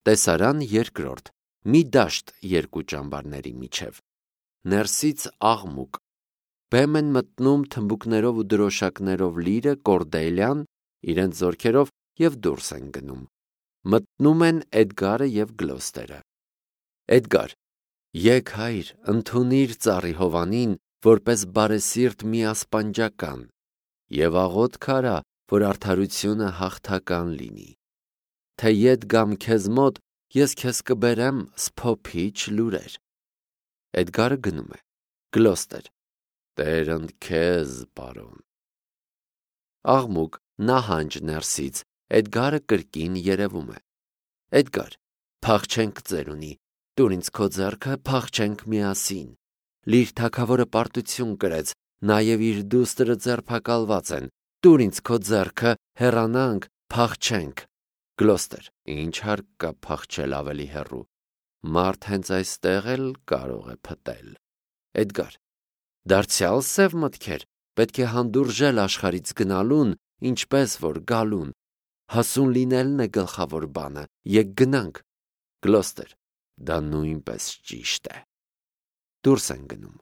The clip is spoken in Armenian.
Տեսարան երկրորդ. մի դաշտ երկու ճամբարների միջև։ Ներսից աղմուկ։ Բեմ են մտնում թմբուկներով ու դրոշակներով լիրը, Կորդելյան, իրենց զորքերով և դուրս են գնում։ Մտնում են Էդգարը և Գլոստերը։ Էդգար. եկ հայր, ընդունիր ծառի Հովանին, որպես բարեսիրտ մի ասպանջական, և աղոթք արա, որ արդարությունը հաղթական լինի։ Թե ետ գամ քեզ մոտ, ես քեզ կբերեմ սփոփիչ լուրեր։ Էդգարը գնում է։ Գլոստեր. Տեր ընդ քեզ, պարոն։ Աղմուկ, նահանջ ներսից, Էդգարը կրկին երևում է։ Էդգար. փախչենք ծերունի, տուր ինձ քո ձեռքը, փախչենք միասին։ Լիր թագավորը պարտություն կրեց, նաև իր դուստրը ձերբակալված են, տուր ինձ քո ձեռքը, հեռանանք, փախչենք։ Գլոստեր. ինչ հարկ կա փախչել ավելի հեռու, մարդ հենց այստեղ էլ կարող է փտել։ Էդգար. դարձյալ սև մտքեր, պետք է հանդուրժել աշխարհից գնալուն, ինչպես որ գալուն, հասուն լինելն է գլխավոր բանը, եկ գնանք։ Գլոստեր. դա նույնպես ճիշտ է։ Դուրս են գնում։